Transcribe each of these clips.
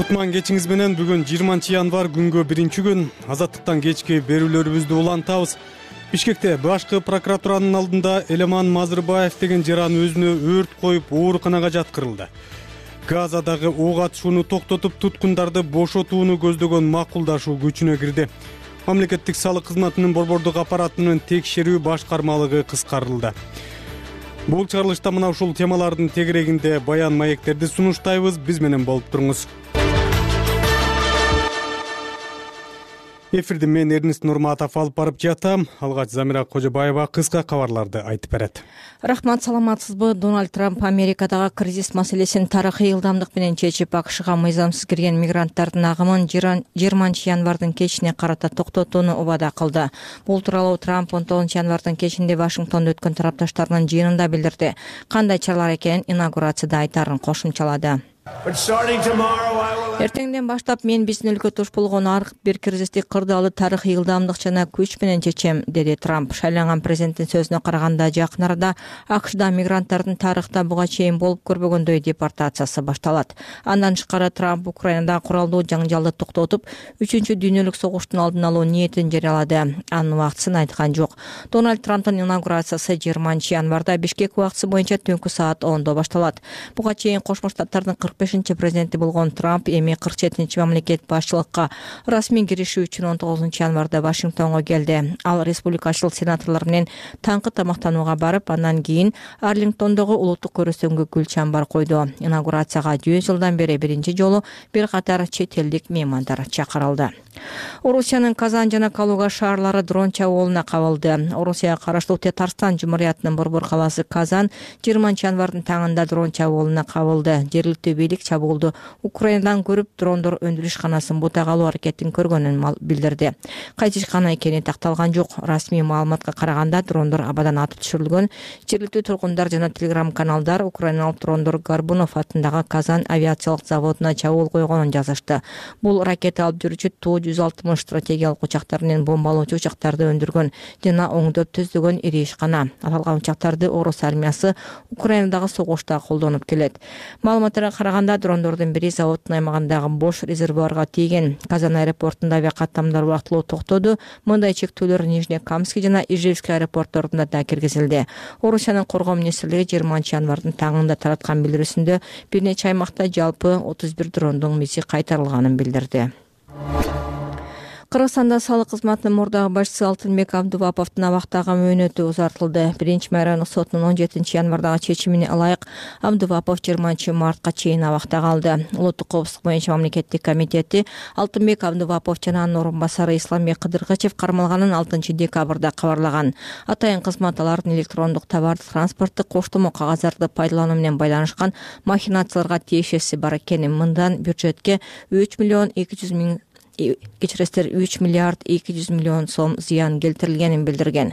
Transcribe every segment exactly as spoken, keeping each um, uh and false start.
Кутман кечиңиз менен бүгүн жыйырманчы январь күнгө биринчи күн. Азаттыктан кечки берүүлөрүбүздү улантабыз. Бишкекте башкы прокуратуранын алдында Элеман Мазырбаев деген жаран өзүнө өрт коюп ооруканага жаткырылды. Газадагы ок атышууну токтотуп, туткундарды бошотууну көздөгөн макулдашуу күчүнө кирди. Мамлекеттик салык кызматынын борбордук аппаратынын текшерүү башкармалыгы кыскартылды. Бул чыгарылышта мына ушул темалардын тегерегинде баян маектерди сунуштайбыз. Биз менен болуп туруңуз. Эфирди мен Эрнист Нурматов алып барып жатам. Алгач Замира Кожобаева кыска кабарларды айтып берет. Рахмат, саламатсызбы? Дональд Трамп Америкадагы кризис маселесин тарыхый ылдамдык менен чечип, АКШга мыйзамсыз кирген мигранттардын агымын жыйырманчы январдын кечине карата токтотууну убада кылды. Бул тууралуу Трамп он тогузунчу январдын кечинде Вашингтондо өткөн тарапташтарынын жыйынында билдирди. Кандай чаралар экенин инаугурацияда айтарын кошумчалады. Эртеңден баштап мен биздин өлкө туш болгон ар бир кризисти кырдаалы тарыхый ылдамдык жана күч менен чечем, деди Трамп. Шайланган президенттин сөзүнө караганда, жакын арада АКШда мигранттардын тарыхта буга чейин болуп көрбөгөндөй депортациясы башталат. Андан тышкары Трамп Украинада куралдуу жаңжалды токтотуп, үчүнчү дүйнөлүк согуштун алдын алуу ниетин жарыялады. Анын убактысын айткан жок. Дональд Трамптын инаугурациясы жыйырманчы январда Бишкек убактысы боюнча түнкү саат ондо башталат. Буга чейин Кошмо Штаттардын кырк бешинчи президенти болгон Трамп эми кырк жетинчи мамлекет башчылыкка расмий киришүү үчүн он тогузунчу январда Вашингтонго келди. Ал республикачыл сенаторлор менен таңкы тамактанууга барып, андан кийин Арлингтондогу улуттук көрөсөнгө гүл чамбар койду. Инаугурацияга жүз жылдан бери биринчи жолу бир катар чет элдик меймандар чакырылды. Орусиянын Казан жана Калуга шаарлары дрон чабуулуна кабылды. Орусияга караштуу Татарстан Жумуриятынын борбор калаасы Казан жыйырманчы январдын таңында дрон чабуулуна кабылды. Жергиликтүү бийлик чабуулду Украинадан көрүп, дрондор өндүрүш ишканасын бутага алуу аракетин көргөнүн билдирди. Кайсы ишкана экени такталган жок. Расмий маалыматка караганда, дрондор абадан атып түшүрүлгөн. Жергиликтүү тургундар жана телеграм-каналдар украиналык дрондор Горбунов атындагы Казан авиациялык заводуна чабуул койгонун жазышты. Бул ракета алып жүрүүчү Ту жүз алтымыш стратегиялык учактар менен бомбалоочу учактарды өндүргөн жана оңдоп түздөгөн ири ишкана. Аталган учактарды Орус армиясы Украинадагы согушта колдонуп келет. Маалыматтарга караганда, дрондордун бири заводдун аймагындагы бош резервуарга тийген. Казан аэропортунда авиакаттамдар убактылуу токтоду. Мындай чектөөлөр Нижнекамский жана Ижевский аэропортторунда да киргизилди. Орусиянын коргоо министрлиги жыйырманчы январдын таңында тараткан билдирүүсүндө бир нече аймакта жалпы отуз бир дрондун миси кайтарылганын билдирди. Кыргызстанда салык кызматынын мурдагы башчысы Алтынбек Абдуваповдун абактагы мөөнөтү узартылды. Биринчи райондук сотунун он жетинчи январдагы чечимине ылайык Абдувапов жыйырманчы мартка чейин абакта калды. Улуттук коопсуздук боюнча мамлекеттик комитети Алтынбек Абдувапов жана анын орун басары Исламбек Кыдыргачев кармалганын алтынчы декабрда кабарлаган. Атайын кызмат алардын электрондук товар транспорттук коштомо кагаздарды пайдалануу менен байланышкан махинацияларга тиешеси бар экенин, мындан бюджетке үч миллион эки жүз миң кечиресиздер үч миллиард эки жүз миллион сом зыян келтирилгенин билдирген.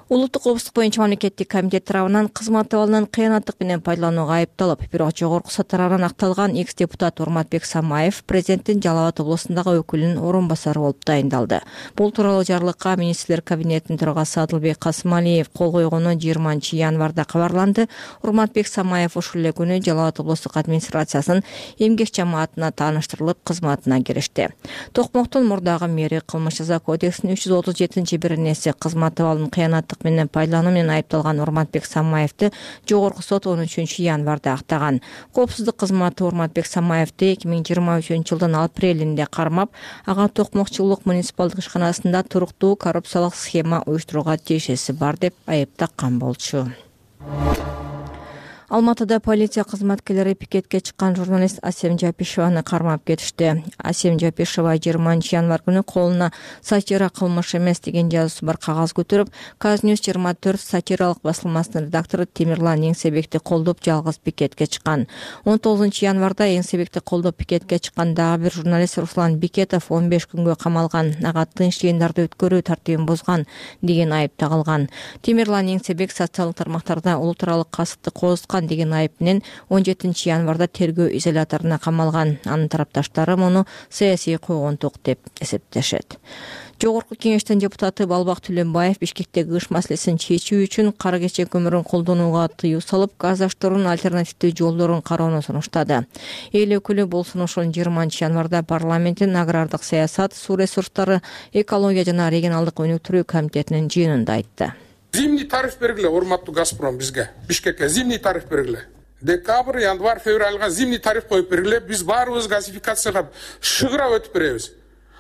Улуттук коопсуздук боюнча мамлекеттик комитет тарабынан кызмат абалынан кыянаттык менен пайдаланууга айыпталып, бирок жогорку сот тарабынан акталган экс-депутат Урматбек Самаев президенттин Жалал Абад облусундагы өкүлүнүн орун басары болуп дайындалды. Бул тууралуу жарлыкка министрлер кабинетинин төрагасы Адылбек Касымалиев кол койгону жыйырманчы январда кабарланды. Урматбек Самаев ушул эле күнү Жалал Абад облустук администрациясынын эмгек жамаатына тааныштырылып, кызматына киришти. Токмоктун мурдагы мэри кылмыш жаза кодексинин үч жүз отуз жетинчи беренеси кызмат абалын кыянаттык менен пайдалануу менен айыпталган Урматбек Самаевди жогорку сот он үчүнчү январда актаган. Коопсуздук кызматы Урматбек Самаевди эки миң жыйырма үчүнчү жылдын апрелинде кармап, ага Токмокчулук муниципалдык ишканасында туруктуу коррупциялык схема уюштурууга тиешеси бар деп айыптаган болчу. Алматыда полиция кызматкерлери пикетке чыккан журналист Асем Жапишеваны кармап кетишти. Асем Жапишева жыйырманчы январь күнү колуна сатира кылмыш эмес деген жазуусу бар кагаз көтөрүп, Казньюс жыйырма төрт сатиралык басылмасынын редактору Темирлан Эңсебекти колдоп жалгыз пикетке чыккан. он тогузунчу январда Эңсебекти колдоп пикетке чыккан дагы бир журналист Руслан Бекетов он беш күнгө камалган. Ага тынч жыйындарды өткөрүү тартибин бузган деген айып тагылган. Темирлан Эңсебек социалдык тармактарда улуттаралык касыпты козуткан деген айып менен он жетинчи январда тергөө изоляторуна камалган. Анын тарапташтары муну саясий койгонтук деп эсептешет. Жогорку кеңештин депутаты Балбак Түлөнбаев Бишкектеги кыш маселесин чечүү үчүн кара кечек көмүрүн колдонууга тыюу салып, газ аштыруунун альтернативдүү жолдорун кароону сунуштады. Эл өкүлү бул сунушун жыйырманчы январда парламенттин агрардык саясат, суу ресурстары, экология жана регионалдык өнүктүрүү комитетинин жыйынында айтты. Зимний тариф бергиле, урматтуу Газпром, бизге Бишкекке зимний тариф бергиле. Декабрь, январь, февралга зимний тариф коюп бергиле, биз баарыбыз газификацияга шыгыра өтүп беребиз.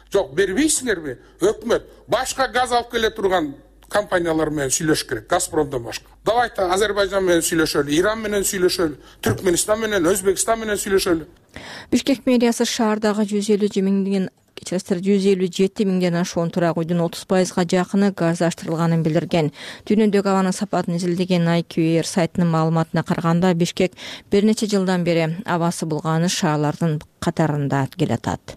Жок, бербейсиңерби? Өкмөт башка газ алып келе турган компаниялар менен сүйлөшүш керек, Газпромдон башка. Давайте Азербайжан менен сүйлөшөлү, Иран менен сүйлөшөлү, Түркмөнстан менен, Өзбекстан менен сүйлөшөлү. Бишкек мэриясы шаардагы жүз элүү миңден кечиресиздер жүз элүү жети миңден ашуун турак үйдүн отуз пайызга жакыны газ аштырылганын билдирген. Дүйнөдөгү абанын сапатын изилдеген ай кью эр сайтынын маалыматына караганда, Бишкек бир нече жылдан бери абасы булганыш шаарлардын катарында келатат.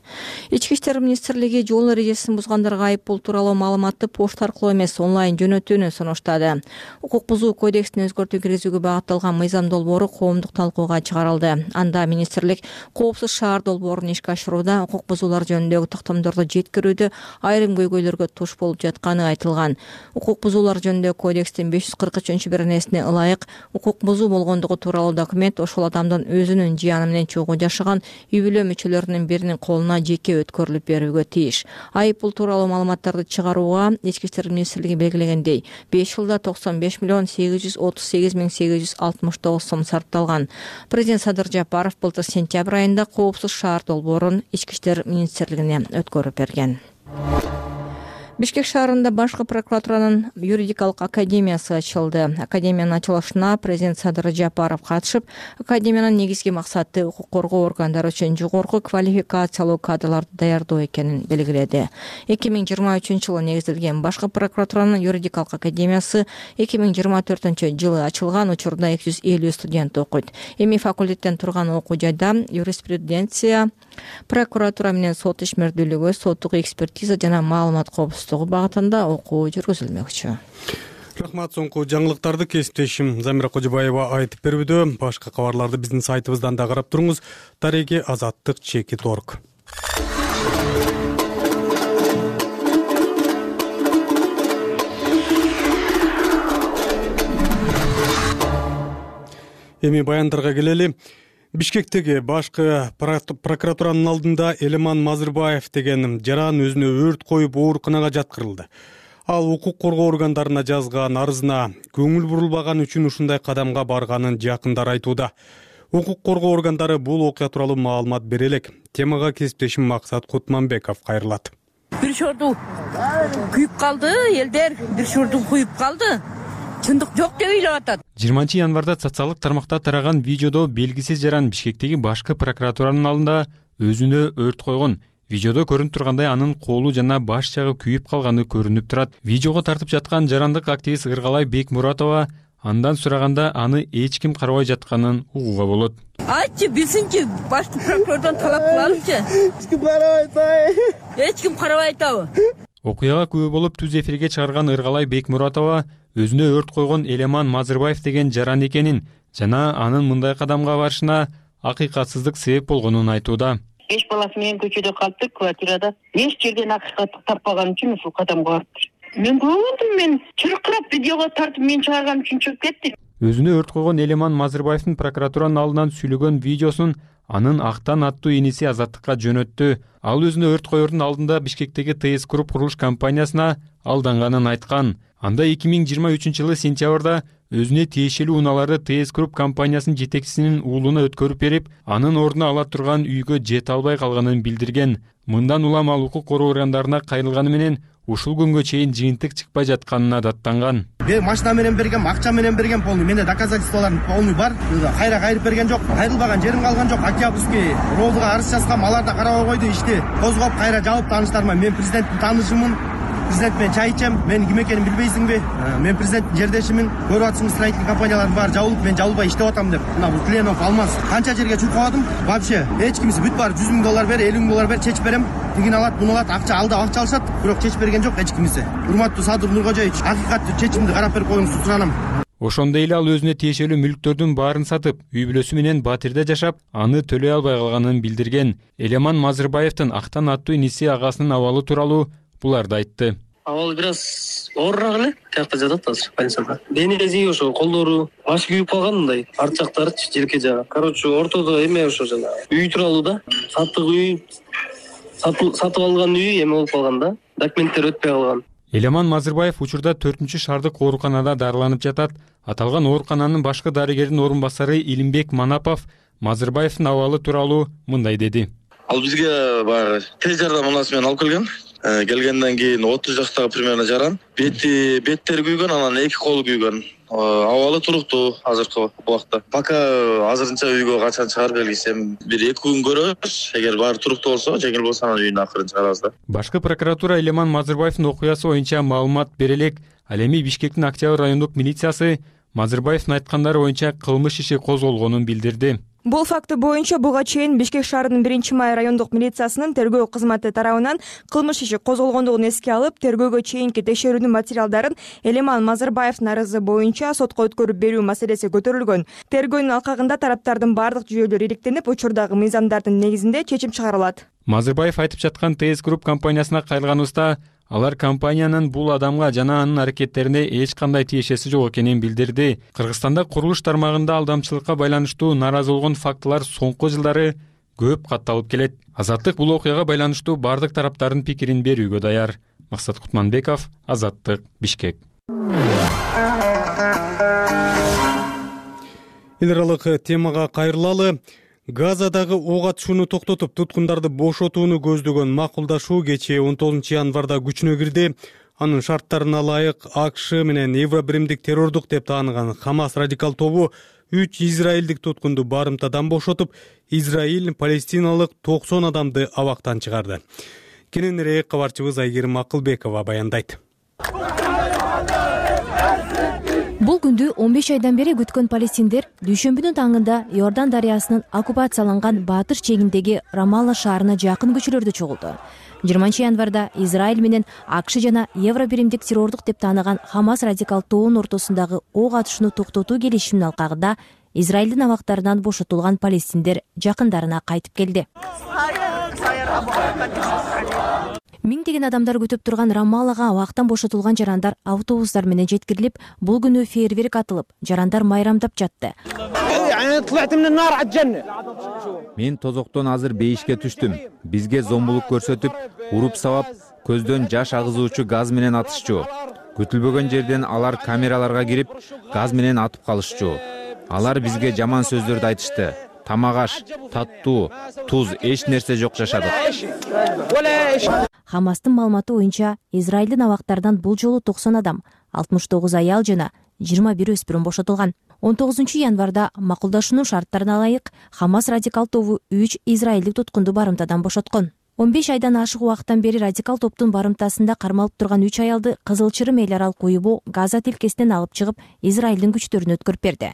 Ички иштер министрлиги жол эрежесин бузгандарга айыппул тууралуу маалыматты почта аркылуу эмес, онлайн жөнөтүүнү сунуштады. Укук бузуу кодексин өзгөртүү киргизүүгө багытталган мыйзам долбоору коомдук талкууга чыгарылды. Анда министрлик коопсуз шаар долбоорун ишке ашырууда укук бузуулар жөнүндөгү тактамдарды жеткирүүдө айрым көйгөйлөргө туш болуп жатканы айтылган. Укук бузуулар жөнүндөгү кодекстин беш жүз кырк үчүнчү беренесине ылайык укук бузуу болгондугу тууралуу документ ошол адамдын өзүнүн жыяны менен чогуу жашаган үй бүлө мүчөлөрүнүн биринин колуна жеке өткөрүлүп берүүгө тийиш. Айыппул тууралуу маалыматтарды чыгарууга Ички иштер министрлиги белгилегендей беш жылда токсон беш миллион сегиз жүз отуз сегиз миң сегиз жүз алтымыш тогуз сом сарпталган. Президент Садыр Жапаров былтыр сентябрь айында коопсуз шаар долбоорун Ички иштер министрлигине өткөрүп берген. Бишкек шаарында башкы прокуратуранын юридикалык академиясы ачылды. Академиянын ачылышына президент Садыр Жапаров катышып, академиянын негизги максаты укук коргоо органдары үчүн жогорку квалификациялуу кадрларды даярдоо экенин белгиледи. эки миң жыйырма үчүнчү жылы негизделген башкы прокуратуранын юридикалык академиясы эки миң жыйырма төртүнчү жылы ачылган, учурда эки жүз элүү студент окуйт. Эми факультеттен турган окуу жайда юриспруденция, прокуратура менен сот ишмердүүлүгү, соттук экспертиза жана маалымат коопсуздугу багытында окуу жүргүзүлмөкчү. Рахмат, соңку жаңылыктарды кесиптешим Замира Кожобаева айтып берүүдө. Башка кабарларды биздин сайтыбыздан да карап туруңуз. Тареги азаттык чекит точка орг. Эми баяндарга келели. Бишкектеги башкы прокуратуранын алдында Элеман Мазырбаев деген жаран өзүнө өрт коюп ооруканага жаткырылды. Ал укук коргоо органдарына жазган арызына көңүл бурулбаган үчүн ушундай кадамга барганын жакындары айтууда. Укук коргоо органдары бул окуя тууралуу маалымат бере элек. Темага кесиптешим Максат Кутманбеков кайрылат. Бир шорду күйүп калды, элдер бир шорду куюп калды. Чындык жок деп ойлоп атат. жыйырманчы январда социалдык тармакта тараган видеодо белгисиз жаран Бишкектеги башкы прокуратуранын алдында өзүнө өрт койгон. Видеодо көрүнүп тургандай анын колу жана баш жагы күйүп калганы көрүнүп турат. Видеого тартып жаткан жарандык активист Ыргалай Бекмуратова андан сураганда аны эч ким карабай жатканын угууга болот. Айтчы, билсинчи, башкы прокурордон талап кылалычы. Эч ким карабай атпайбы? Эч ким карабай атабы? Окуяга күбө болуп түз эфирге чыгарган Ыргалай Бекмуратова өзүнө өрт койгон Элеман Мазырбаев деген жаран экенин жана анын мындай кадамга барышына акыйкатсыздык себеп болгонун айтууда. Беш баласы менен көчөдө калыптыр, квартирада. Эч жерден акыйкатты таппаган үчүн ушул кадамга барыптыр. Мен көрдүм, мен чыркырап видеого тартып мен чыгарган үчүн чыгып кетти. Өзүнө өрт койгон Элеман Мазырбаевдин прокуратуранын алдынан сүйлөгөн видеосун анын Актан аттуу иниси Азаттыкка жөнөттү. Ал өзүнө өрт коердун алдында Бишкектеги ТС Групп курулуш компаниясына алданганын айткан. Анда эки миң жыйырма үчүнчү жылы сентябрда өзүнө тиешелүү унааларды ТС Групп компаниясынын жетекчисинин уулуна өткөрүп берип, анын ордуна ала турган үйгө жете албай калганын билдирген. Мындан улам ал укук коргоо органдарына кайрылганы менен ушул күнгө чейин жыйынтык чыкпай жатканына даттанган. Мен машина менен бергем, акча менен бергем полный. Менде доказательстволорум полный бар. Кайра кайрып берген жок. Кайрылбаган жерим калган жок. Октябрьский ровдуга арыз жазгам, алар да карабай койду ишти. Козгоп кайра жабып тааныштарыма. Мен президенттин таанышымын. Президент менен чай ичем. Мен ким экенин билбейсиңби? Мен президенттин жердешимин. Көрүп атсың, строительный компаниялардын баары жабылып, мен жабылбай иштеп атам деп. Мына бул Кленов, Алмаз канча жерге чуркабадым. Вообще эч кимиси бүт баары жүз миң доллар бер, элүү миң доллар бер, чечип берем. Тигин алат, буну алат, акча алды, акча алышат. Бирок чечип берген жок эч кимиси. Урматтуу Садыр Нуркожоевич, акыйкаттуу чечимди карап берип коюңуз, суранам. Ошондой эле ал өзүнө тиешелүү мүлктөрдүн баарын сатып, үй бүлөсү менен Батирде жашап, аны төлөй албай калганын билдирген. Элеман Мазырбаевдин Актан аттуу иниси агасынын абалы тууралуу буларды айтты. Абалы бир аз оорураак эле. Тиякта жатат азыр больницада. Денеси ошо колдору баш күйүп калган мындай. Арт жактарычы желке жагы. Короче, ортодо эме ошо жана үй туралуу да. Саттык үй, сатып алган үй эме болуп калган да. Документтер өтпөй калган. Элеман Мазырбаев учурда төртүнчү шаардык ооруканада дарыланып жатат. Аталган оорукананын башкы дарыгердин орун басары Илимбек Манапов Мазырбаевдин абалы тууралуу мындай деди. Ал бизге баягы тез жардам унасы менен алып келген. Келгенден кийин отуз жаштагы примерно жаран. Бети беттери күйгөн, анан эки колу күйгөн. Абалы туруктуу азыркы убакта. Пока азырынча үйгө качан чыгар белгисем, бир эки күн көрөбүз. Эгер баары туруктуу болсо, жеңил болсо анан үйүнө акырын чыгарабыз да. Башкы прокуратура Элеман Мазырбаевдин окуясы боюнча маалымат бере элек. Ал эми Бишкектин Октябрь райондук милициясы Мазырбаевдин айткандары боюнча кылмыш иши козголгонун билдирди. Бул факты боюнча буга чейин Бишкек шаарынын биринчи май райондук милициясынын тергөө кызматы тарабынан кылмыш иши козголгондугун эске алып, тергөөгө чейинки текшерүүнүн материалдарын Элеман Мазырбаевдин арызы боюнча сотко өткөрүп берүү маселеси көтөрүлгөн. Тергөөнүн алкагында тараптардын бардык жүйөлөрү иликтенип, учурдагы мыйзамдардын негизинде чечим чыгарылат. Мазырбаев айтып жаткан тэ эс Group компаниясына кайрылганыбызда алар компаниянын бул адамга жана анын аракеттерине эч кандай тиешеси жок экенин билдирди. Кыргызстанда курулуш тармагында алдамчылыкка байланыштуу нааразы болгон фактылар соңку жылдары көп катталып келет. Азаттык бул окуяга байланыштуу бардык тараптардын пикирин берүүгө даяр. Максат Кутманбеков, Азаттык, Бишкек. Эл аралык темага кайрылалы. Газадагы ок атышууну токтотуп, туткундарды бошотууну көздөгөн макулдашуу кечээ он тогузунчу январда күчүнө кирди. Анын шарттарына ылайык АКШ менен Евробиримдик террордук деп тааныган Хамас радикал тобу үч израилдик туткунду барымтадан бошотуп, Израиль палестиналык токсон адамды абактан чыгарды. Кененирээк кабарчыбыз Айгерим Акылбекова баяндайт. Бул күндү он беш айдан бери күткөн палестиндер дүйшөмбүнүн таңында Иордан дарыясынын оккупацияланган батыш чегиндеги Рамалла шаарына жакын көчөлөрдө чогулду. жыйырманчы январда Израиль менен АКШ жана Евробиримдик террордук деп тааныган Хамас радикал тобунун ортосундагы ок атышууну токтотуу келишиминин алкагында Израилдин абактарынан бошотулган палестиндер жакындарына кайтып келди. Миңдеген адамдар күтүп турган Рамаллага абактан бошотулган жарандар автобустар менен жеткирилип, бул күнү фейерверк атылып, жарандар майрамдап жатты. Мен тозоктон азыр бейишке түштүм. Бизге зомбулук көрсөтүп, уруп сабап, көздөн жаш агызуучу газ менен атышчу. Күтүлбөгөн жерден алар камераларга кирип, газ менен атып калышчу. Алар бизге жаман сөздөрдү айтышты. Тамак аш, таттуу, туз, эч нерсе жок жашадык. Хамастын маалыматы боюнча, Израилдин абактарынан бул жолу токсон адам, алтымыш тогуз аял жана жыйырма бир өспүрүм бошотулган. он тогузунчу январда макулдашуунун шарттарына ылайык Хамас радикал тобу үч израилдик туткунду барымтадан бошоткон. он беш айдан ашык убакыттан бери радикал топтун барымтасында кармалып турган үч аялды Кызыл Чырым эл аралык уюму Газа тилкесинен алып чыгып, Израилдин күчтөрүнө өткөрүп берди.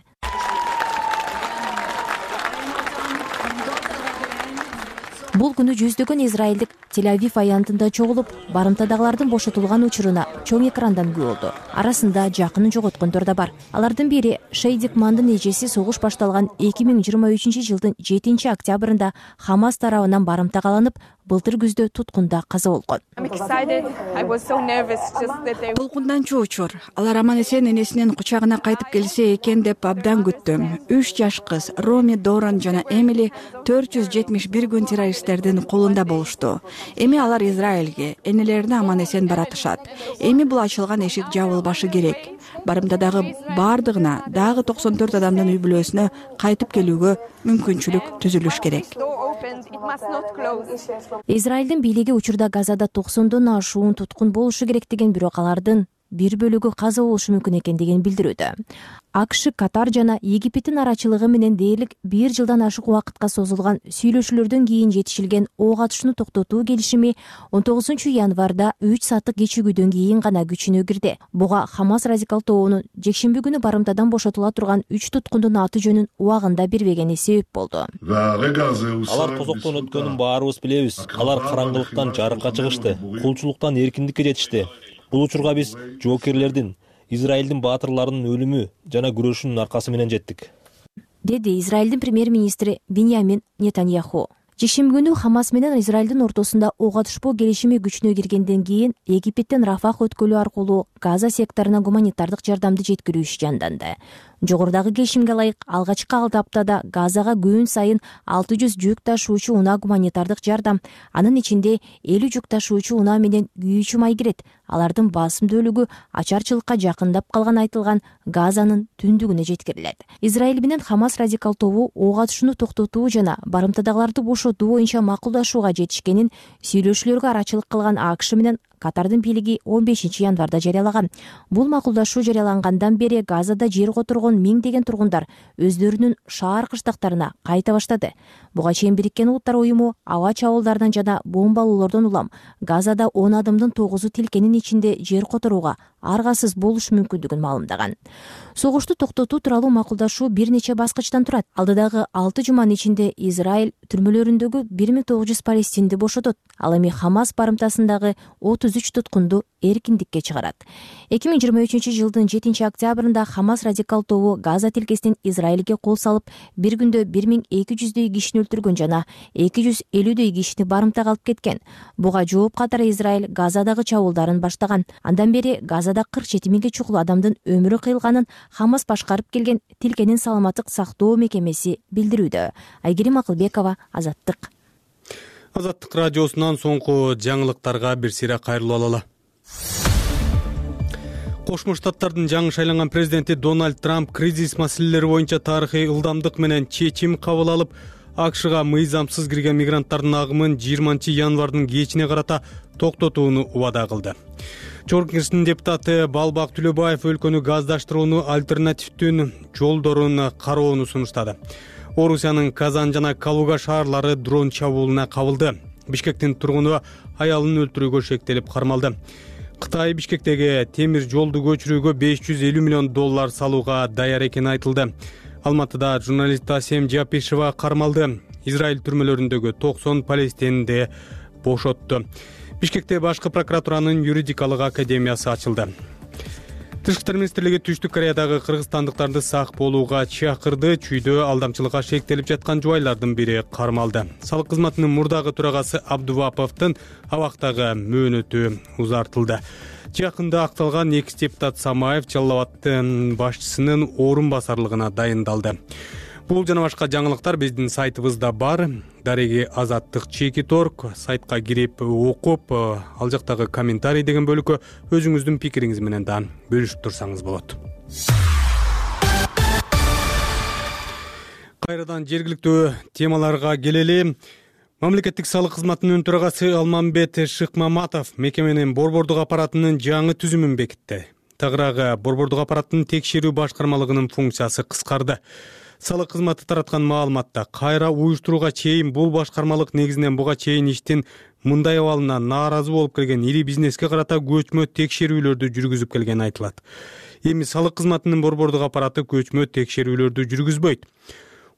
Бул күнү жүздөгөн израилдик Тель-Авив аянтында чогулуп, барымтадагылардын бошотулган учуруна чоң экрандан күбө болду. Арасында жакынын жоготкондор да бар. Алардын бири Шейдик Мандын эжеси согуш башталган эки миң жыйырма үчүнчү жылдын жетинчи октябрында Хамас тарабынан барымта каланып, былтыр күздө туткунда каза болгон. Толкундан чоочор. Алар аман эсен энесинин кучагына кайтып келсе экен деп абдан күттүм. үч жаш кыз Роми, Доран жана Эмили төрт жүз жетимиш бир күн террористтердин колунда болушту. Эми алар Израилге, энелерине аман эсен баратышат. Эми бул ачылган эшик жабылбашы керек. Барымтадагы бардыгына, дагы токсон төрт адамдын үй бүлөсүнө кайтып келүүгө мүмкүнчүлүк түзүлүш керек. Израилдин бийлиги учурда Газада токсондон ашуун туткун болушу керек деген, бирок алардын бир бөлүгү каза болушу мүмкүн экендигин билдирүүдө. АКШ, Катар жана Египеттин арачылыгы менен дээрлик бир жылдан ашык убакытка созулган сүйлөшүүлөрдөн кийин жетишилген ок атышууну токтотуу келишими он тогузунчу январда үч сааттык кечигүүдөн кийин гана күчүнө кирди. Буга Хамас радикал тобунун жекшемби күнү барымтадан бошотула турган үч туткундун аты жөнүн убагында бербегени себеп болду. Алар тозоктон өткөнүн баарыбыз билебиз. Алар караңгылыктан жарыкка чыгышты, кулчулуктан эркиндикке жетишти. Бул учурга биз жоокерлердин, Израилдин баатырларынын өлүмү жана күрөшүнүн аркасы менен жеттик, деди Израилдин премьер-министри Биньямин Нетаньяху. жекшемби күнү Хамас менен Израилдин ортосунда ок атышпоо келишими күчүнө киргенден кийин Египеттен Рафах өткөлү аркылуу Газа секторуна гуманитардык жардамды жеткирүү иши жанданды. Жогорудагы келишимге ылайык алгачкы алты аптада Газага күн сайын алты жүз жүк ташуучу унаа гуманитардык жардам, анын ичинде элүү жүк ташуучу унаа менен күйүүчү май кирет. Алардын басымдуулугу ачарчылыкка жакындап калган айтылган Газанын түндүгүнө жеткирилет. Израиль менен Хамас радикал тобу ок атышууну токтотуу жана барымтадагыларды бошотуу боюнча макулдашууга жетишкенин сүйлөшүүлөргө арачылык кылган АКШ менен Катардын бийлиги он бешинчи январда жарыялаган. Бул макулдашуу жарыялангандан бери Газада жер которгон миңдеген тургундар өздөрүнүн шаар кыштактарына кайта баштады. Буга чейин Бириккен Улуттар уюму аба чабуулдардан жана бомбалоолордон улам Газада он адамдын тогузу тилкенин ичинде жер которууга аргасыз болушу мүмкүндүгүн маалымдаган. Согушту токтотуу тууралуу макулдашуу бир нече баскычтан турат. Алдыдагы алты жуманын ичинде Израиль түрмөлөрүндөгү бир миң тогуз жүз палестинди бошотот. Ал эми Хамас барымтасындагы отуз үч туткунду эркиндикке чыгарат. эки миң жыйырма үчүнчү жылдын жетинчи октябрында Хамас радикал тобу Газа тилкесинен Израилге кол салып, бир күндө бир миң эки жүздөй кишини өлтүргөн жана эки жүз элүүдөй кишини барымтага алып кеткен. Буга жооп катары Израиль Газадагы чабуулдарын баштаган. Андан бери Газада кырк жети миңге чукул адамдын өмүрү кыйылганын Хамас башкарып келген тилкенин саламаттык сактоо мекемеси билдирүүдө. Айгерим Акылбекова, Азаттык. Азаттык радиосунан соңку жаңылыктарга бир сыйра кайрылып алалы. Кошмо Штаттардын жаңы шайланган президенти Дональд Трамп кризис маселелери боюнча тарыхый ылдамдык менен чечим кабыл алып, АКШга мыйзамсыз кирген мигранттардын агымын жыйырманчы январдын кечине карата токтотууну убада кылды. Чогорку Кеңештин депутаты Балбак Түлөбаев өлкөнү газдаштырууну альтернативдүү жолдорун кароону сунуштады. Орусиянын Казан жана Калуга шаарлары дрон чабуулуна кабылды. Бишкектин тургуну аялын өлтүрүүгө шектелип кармалды. Кытай Бишкектеги темир жолду көчүрүүгө беш жүз элүү миллион доллар салууга даяр экени айтылды. Алматыда журналист Асем Жапишева кармалды. Израиль түрмөлөрүндөгү токсон палестинди бошотту. Бишкекте башкы прокуратуранын юридикалык академиясы ачылды. Тышкы иштер министрлиги Түштүк Кореядагы кыргызстандыктарды сак болууга чакырды. Чүйдө алдамчылыкка шектелип жаткан жубайлардын бири кармалды. Салык кызматынын мурдагы төрагасы Абдуваповдун абактагы мөөнөтү узартылды. Жакында акталган экс депутат Самаев Жалал Абадтын башчысынын орун басарлыгына дайындалды. Бул жана башка жаңылыктар биздин сайтыбызда бар. Дареги Азаттык чеки торг сайтка кирип окуп, ал жактагы комментарий деген бөлүккө өзүңүздүн пикириңиз менен да бөлүшүп турсаңыз болот. Кайрадан жергиликтүү темаларга келели. Мамлекеттик салык кызматынын төрагасы Алмамбет Шыкмаматов мекеменин борбордук аппаратынын жаңы түзүмүн бекитти. Тагыраагы борбордук аппараттын текшерүү башкармалыгынын функциясы кыскарды. Салык кызматы тараткан маалыматта кайра уюштурууга чейин бул башкармалык негизинен буга чейин иштин мындай абалынан нааразы болуп келген ири бизнеске карата көчмө текшерүүлөрдү жүргүзүп келгени айтылат. Эми салык кызматынын борбордук аппараты көчмө текшерүүлөрдү жүргүзбөйт.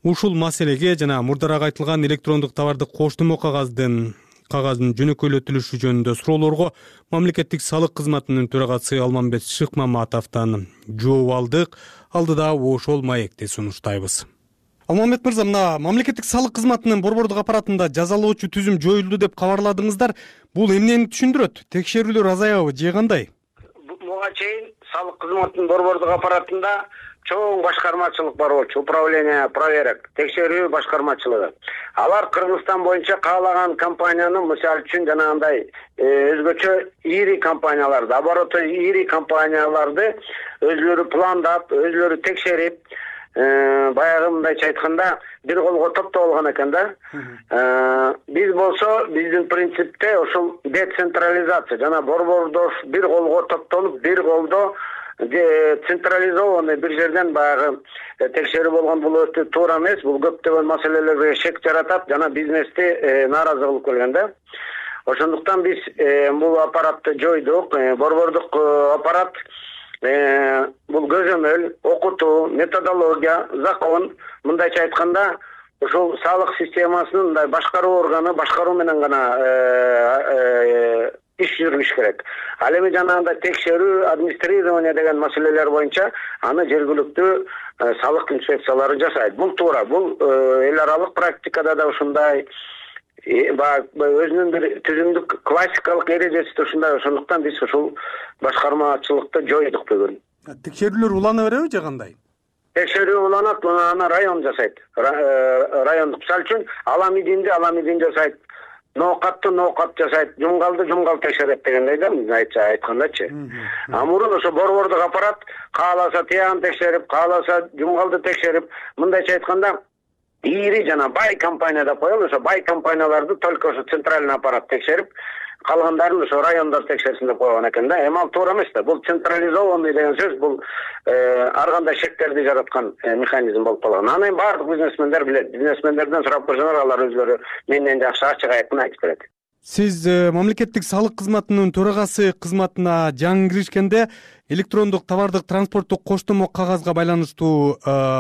Ушул маселеге жана мурдараак айтылган электрондук товарды коштумо кагаздын кагаздын жөнөкөйлөтүлүшү жөнүндө суроолорго мамлекеттик салык кызматынын төрагасы Алмамбет Шыкмаматовдон жооп алдык. Алдыда ошол маекти сунуштайбыз. Алмамбет мырза, мына мамлекеттик салык кызматынын борбордук аппаратында жазалоочу түзүм жоюлду деп кабарладыңыздар. Бул эмнени түшүндүрөт? Текшерүүлөр азаябы же кандай? Буга чейин салык кызматынын борбордук аппаратында чоң башкармачылык бар болчу, управление проверок, текшерүү башкармачылыгы. Алар Кыргызстан боюнча каалаган компанияны, мисалы үчүн жанагындай өзгөчө ири компанияларды, обороты ири компанияларды өзлөрү пландап, өзлөрү текшерип, баягы мындайча айтканда бир колго топтоп алган экен да. Биз болсо биздин принципте ошол децентрализация, жана борбордош бир колго топтолуп, бир колдо централизованный бир жерден баягы текшерүү болгон бул өтө туура эмес. Бул көптөгөн маселелерге шек жаратат жана бизнести нааразы кылып келген да. Ошондуктан биз бул аппаратты жойдук. Борбордук аппарат бул көзөмөл, окутуу, методология, закон, мындайча айтканда ушул салык системасынын мындай башкаруу органы, башкаруу менен гана иш жүргүзүш керек. Ал эми жанагындай текшерүү, администрирование деген маселелер боюнча аны жергиликтүү салык инспекциялары жасайт. Бул туура. Бул эл аралык практикада да ушундай баягы өзүнүн бир түзүмдүк классикалык эрежеси да ушундай, ошондуктан биз ушул башкармачылыкты жойдук бүгүн. Текшерүүлөр улана береби же кандай? Текшерүү уланат, аны район жасайт. Райондук, мисалы үчүн Аламидинди Аламидин жасайт, Ноокатты Ноокат жасайт, Жумгалды Жумгал текшерет дегендей да, айтча айткандачы. А мурун ошо борбордук аппарат кааласа Тиягын текшерип, кааласа Жумгалды текшерип, мындайча айтканда ири жана бай компания деп коелу, ошо бай компанияларды только ошо центральный аппарат текшерип, калгандарын ошо райондор текшерсин деп койгон экен да. Эми ал туура эмес да. Бул централизованный деген сөз, бул ар кандай шектерди жараткан механизм болуп калган. Аны баардык бизнесмендер билет. Бизнесмендерден сурап көрсөңөр, алар өзлөрү менден жакшы ачык айкын айтып берет. Сиз мамлекеттик салык кызматынын төрагасы кызматына жаңы киришкенде электрондук товардык транспорттук коштомо кагазга байланыштуу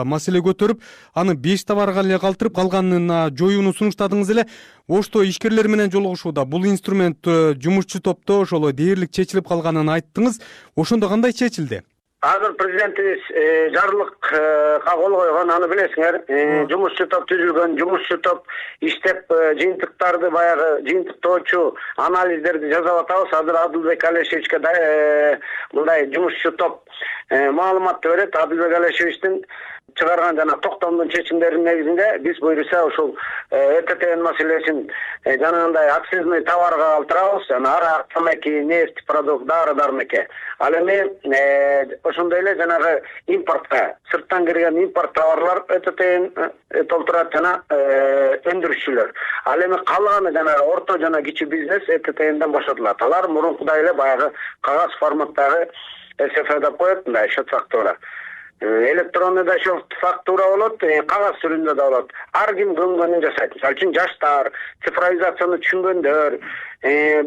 маселе көтөрүп, аны беш товарга эле калтырып, калганына жоюуну сунуштадыңыз эле. Ошто ишкерлер менен жолугушууда бул инструмент жумушчу топто ошол дээрлик чечилип калганын айттыңыз. Ошондо кандай чечилди? Азыр президентибиз жарлыкка кол койгон, аны билесиңер. Жумушчу топ түзүлгөн, жумушчу топ иштеп жыйынтыктарды, баягы жыйынтыктоочу анализдерди жасап атабыз. Азыр Адылбек Алешевичке мындай жумушчу топ маалыматты берет. Адылбек Алешевичтин чыгарган жана токтомдун чечимдеринин негизинде биз буюрса ошол ЭТТ маселесин жанагындай акцизный товарга калтырабыз, жана арак, тамаки, нефть, продукт, дары дармеке. Ал эми ошондой эле жанагы импортко, сырттан кирген импорт товарлар ЭТТ толтурат жана өндүрүшчүлөр. Ал эми калганы жанагы орто жана кичи бизнес ЭТТден бошотулат. Алар мурункудай эле баягы кагаз форматтагы СФ деп коет, мындай счет фактура. Электронный да счет фактура болот, кагаз түрүндө да болот. Ар ким көңгөнүн жасайт. Мисалы үчүн жаштар, цифровизацияны түшүнгөндөр,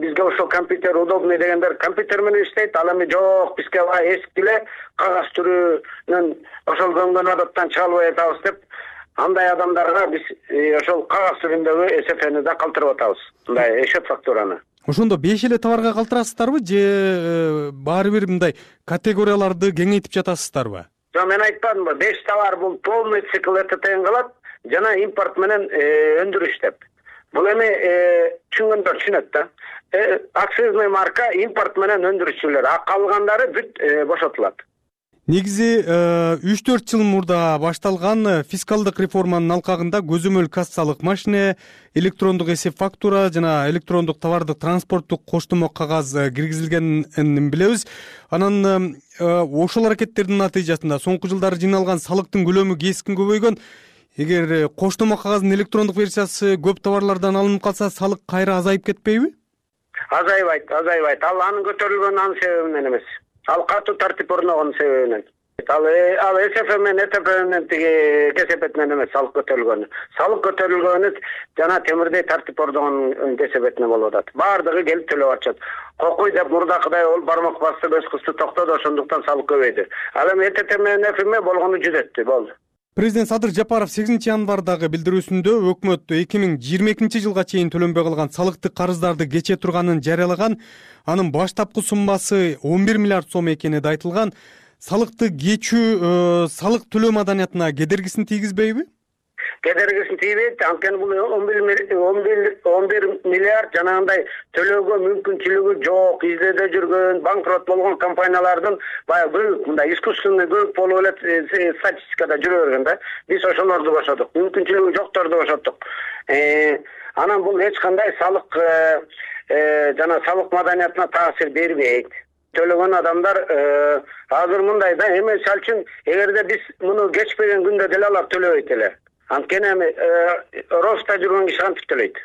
бизге ошол компьютер удобный дегендер компьютер менен иштейт. Ал эми жок, бизге эски эле кагаз түрүнөн ошол көңгөн адаттан чыга албай атабыз деп, андай адамдарга биз ошол кагаз түрүндөгү СФни да калтырып атабыз. Мындай счет фактураны. Ошондо беш эле товарга калтырасыздарбы же баары бир мындай категорияларды кеңейтип жатасыздарбы? Жок, мен айтпадымбы, беш товар бул полный цикл ЭТТн кылат, жана импорт менен өндүрүш деп. Бул эми түшүнгөндөр түшүнөт да. Акцизный марка импорт менен өндүрүшчүлөр, а калгандары бүт бошотулат. Негизи үч төрт жыл мурда башталган фискалдык реформанын алкагында көзөмөл кассалык машине, электрондук эсеп фактура жана электрондук товардык транспорттук коштомо кагаз киргизилгенин билебиз. Анан ошол аракеттердин натыйжасында соңку жылдары жыйналган салыктын көлөмү кескин көбөйгөн. Эгер коштомо кагаздын электрондук версиясы көп товарлардан алынып калса, салык кайра азайып кетпейби? Азайбайт, азайбайт. Ал анын көтөрүлгөнү анын себебинен эмес. Ал катуу тартип орногон себебинен. Ал ал СФ менен ЭТП менен тиги кесепетинен эмес салык көтөрүлгөнү. Салык көтөрүлгөнү жана темирдей тартип орногон кесепетинен болуп атат. Баардыгы келип төлөп атышат. Кокуй деп мурдакыдай ол бармак басып өз кызды токтоду, ошондуктан салык көбөйдү. Ал эми ЭТТ менен ЭФМ болгону жүзөттү, болду. Президент Садыр Жапаров сегизинчи январдагы билдирүүсүндө өкмөт эки миң жыйырма экинчи жылга чейин төлөнбөй калган салыктык карыздарды кече турганын жарыялаган. Анын баштапкы суммасы он бир миллиард сом экени да айтылган. Салыкты кечүү салык төлөө маданиятына кедергисин тийгизбейби? Кедергисин тийбейт. Анткени бул он бир миллиард жанагындай төлөөгө мүмкүнчүлүгү жок, издөөдө жүргөн, банкрот болгон компаниялардын баягы көбүк, мындай искусственный көбүк болуп эле статистикада жүрө берген да. Биз ошолорду бошодук, мүмкүнчүлүгү жокторду бошоттук. Анан бул эч кандай салык жана салык маданиятына таасир бербейт. Төлөгөн адамдар азыр мындай да, эми мисалы үчүн эгерде биз муну кечпеген күндө деле алар төлөбөйт эле. Анткени эми роста жүргөн киши кантип төлөйт?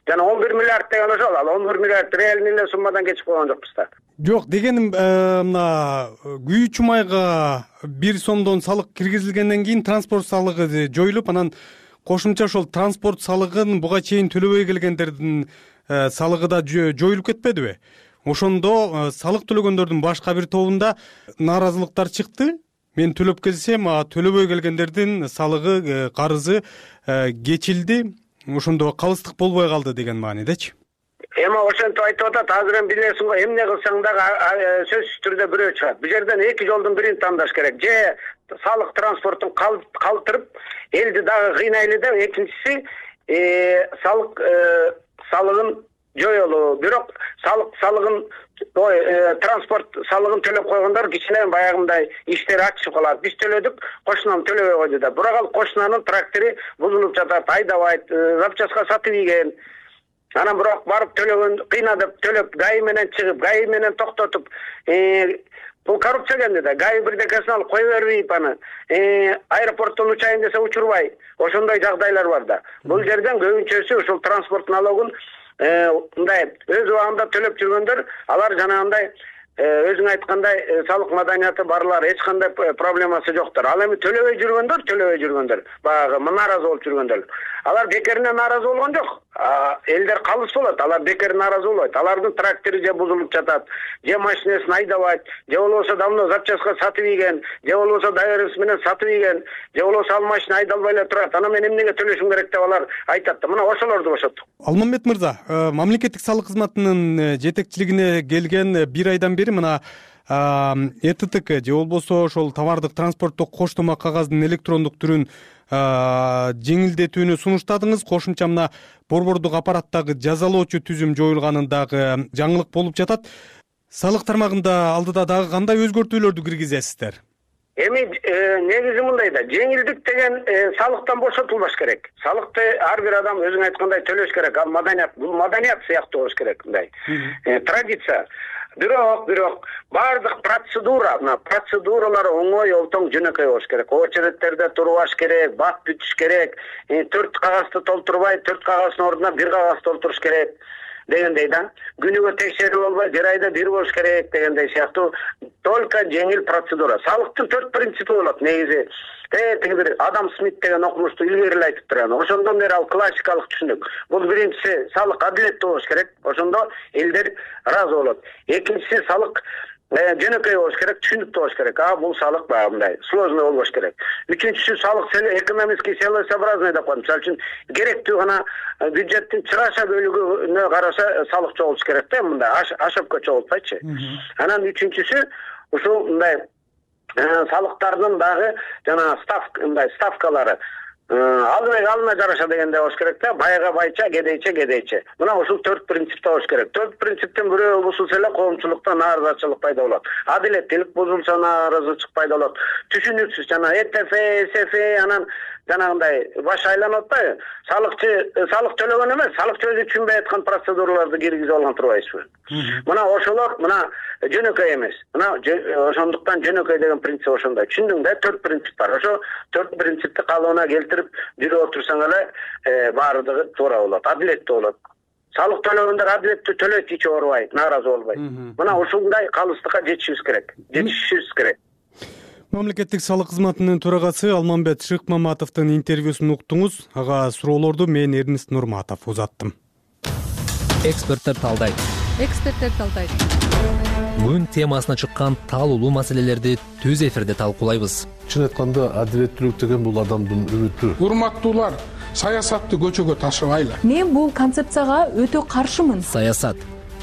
Жана он бир миллиард деген ошол, ал он бир миллиард реальный эле суммадан кечип койгон жокпуз да. Жок, дегеним мына күйүүчү майга бир сомдон салык киргизилгенден кийин транспорт салыгы жоюлуп, анан кошумча ошол транспорт салыгын буга чейин төлөбөй келгендердин салыгы да жоюлуп кетпедиби? Ошондо салык төлөгөндөрдүн башка бир тобунда нааразылыктар чыкты. Мен төлөп келсем, төлөбөй келгендердин салыгы, карызы кечилди. Ошондо калыстык болбой калды деген маанидечи. Эми ошентип айтып атат, азыр эми билесиң го, эмне кылсаң дагы сөзсүз түрдө бирөө чыгат. Бул жерден эки жолдун бирин тандаш керек. Же салык транспортун калтырып, элди дагы кыйнайлы деп, экинчиси салык салыгын жоюлуу, бирок салык салыгын ой транспорт салыгын төлөп койгондор кичине баягындай иштери ачышып калат. Биз төлөдүк, кошунам төлөбөй койду да. Бирок ал кошунанын трактору бузулуп жатат, айдабайт, запчастка сатып ийген. Анан бирок барып төлөгөн, кыйнадып төлөп, ГАИ менен чыгып, ГАИ менен токтотуп, бул коррупция экен да. ГАИ бирдекесин алып кое бербейт аны. Аэропорттон учайын десе учурбай. Ошондой жагдайлар бар да. Бул жерден көбүнчөсү ушул транспорт налогун мындай өз убагында төлөп жүргөндөр, алар жанагындай өзүң айткандай салык маданияты барлар, эч кандай проблемасы жоктор. Ал эми төлөбөй жүргөндөр, төлөбөй жүргөндөр, баягы нааразы болуп жүргөндөр. Алар бекерине нааразы болгон жок. Элдер калыс болот, алар бекер нааразы болбойт. Алардын трактору же бузулуп жатат, же машинесин айдабайт, же болбосо давно запчастка сатып ийген, же болбосо доверенность менен сатып ийген, же болбосо ал машина айдалбай эле турат. Анан мен эмнеге төлөшүм керек деп алар айтат да. Мына ошолорду бошоттук. Алмамбет мырза, мамлекеттик салык кызматынын жетекчилигине келген бир айдан бери мына Э Т Т К же болбосо ошол товардык транспорттук коштома кагаздын электрондук түрүн жеңилдетүүнү сунуштадыңыз. Кошумча мына борбордук аппараттагы жазалоочу түзүм жоюлганын дагы жаңылык болуп жатат. Салык тармагында алдыда дагы кандай өзгөртүүлөрдү киргизесиздер? Эми негизи мындай да, жеңилдик деген салыктан бошотулбаш керек. Салыкты ар бир адам өзүң айткандай төлөш керек. Ал маданият, бул маданият сыяктуу болуш керек мындай. Традиция. Бирок, бирок бардык процедура, мына процедуралар оңой, олтоң, жөнөкөй болуш керек. Очередтерде турбаш керек, бат бүтүш керек, төрт кагазды толтурбай, төрт кагаздын ордуна бир кагаз толтуруш керек дегендей да. Күнүгө текшерүү болбой, бир айда бир болуш керек дегендей сыяктуу только жеңил процедура. Салыктын төрт принципи болот негизи. Э тиги бир Адам Смит деген окумушту илгери эле айтып турган. Ошондон бери ал классикалык түшүнүк. Бул биринчиси салык адилеттүү болуш керек. Ошондо элдер ыраазы болот. Экинчиси салык жөнөкөй болуш керек, түшүнүктүү болуш керек. А бул салык баягындай сложный болбош керек. Үчүнчүсү салык экономический целесообразный деп коет. Мисалы үчүн керектүү гана бюджеттин чыгаша бөлүгүнө караша салык чогултуш керек да, мындай ашапка чогултпайчы. Анан үчүнчүсү ушул мындай салыктардын дагы жана ставка мындай ставкалары алдына алдына жараша дегенде болуш керек да, байга байча, кедейче кедейче. Мына ушул төрт принципте болуш керек. Төрт принциптен бирөө бузулса эле коомчулукта нааразычылык пайда болот. Адилеттүүлүк бузулса нааразычылык пайда болот. Түшүнүксүз жана Э Т Ф, С Ф анан жанагындай баш айланып атпайбы? Салыкчы салык төлөгөн эмес, салыкчы өзү түшүнбөй аткан процедураларды киргизип алган турбайсызбы? Мына ошолор мына жөнөкөй эмес. Мына ошондуктан жөнөкөй деген принцип ошондой. Түшүндүң да, төрт принцип бар. Ошо төрт принципти калыбына келтирип жүрүп отурсаң эле баардыгы туура болот, адилеттүү болот. Салык төлөгөндөр адилеттүү төлөйт, ич оорубай, нааразы болбой. Мына ушундай калыстыкка жетишибиз керек. Жетишишибиз керек. Мамлекеттик салык кызматынын төрагасы Алмамбет Шыкмаматовдун интервьюсун уктуңуз. Ага суроолорду мен Эрнест Нурматов узаттым. Эксперттер талдайт. Эксперттер талдайт. Бүгүн темасына чыккан таалуулуу маселелерди түз эфирде талкуулайбыз. Чын айтканда адилеттүүлүк деген бул адамдын үмүтү. Урматтуулар, саясатты көчөгө ташыбайлы. Мен бул концепцияга өтө каршымын. Саясат,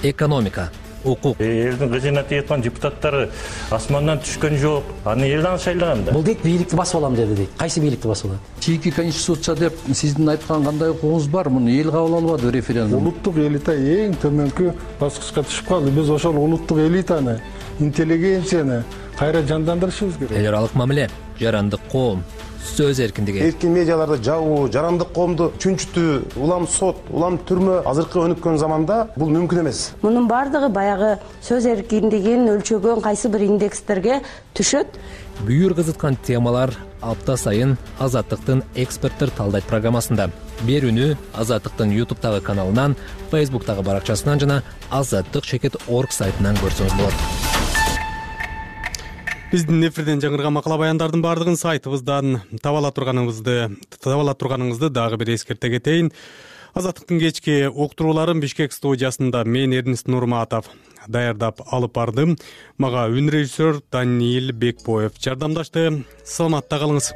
экономика, укук. Элдин кызына тийаткан депутаттары асмандан түшкөн жок. Аны эл аны шайлаган да. Бул дейт бийликти басып алам деди дейт. Кайсы бийликти басып алат? Чийки конституция деп сиздин айткан кандай укугуңуз бар? Муну эл кабыл албады референдум. Улуттук элита эң төмөнкү баскычка түшүп калды. Биз ошол улуттук элитаны, интеллигенцияны кайра жандандырышыбыз керек. Эл аралык мамиле, жарандык коом, сөз эркиндиги. Эркин медиаларды жабуу, жарандык коомду чүнчүтүү, улам сот, улам түрмө азыркы өнүккөн заманда бул мүмкүн эмес. Мунун бардыгы баягы сөз эркиндигин өлчөгөн кайсы бир индекстерге түшөт. Бүйүр кызыткан темалар апта сайын Азаттыктын эксперттер талдайт программасында. Берүүнү Азаттыктын ютубтагы каналынан, фейсбуктагы баракчасынан жана азаттык чекит точка орг сайтынан көрсөңүз болот. Биздин эфирден жаңырган макала баяндардын бардыгын сайтыбыздан таба ала турганыңызды таба ала турганыңызды дагы бир эскерте кетейин. Азаттыктын кечки уктурууларын Бишкек студиясында мен Эрнест Нурматов даярдап алып бардым. Мага үн режиссер Даниил Бекбоев жардамдашты. Саламатта калыңыз.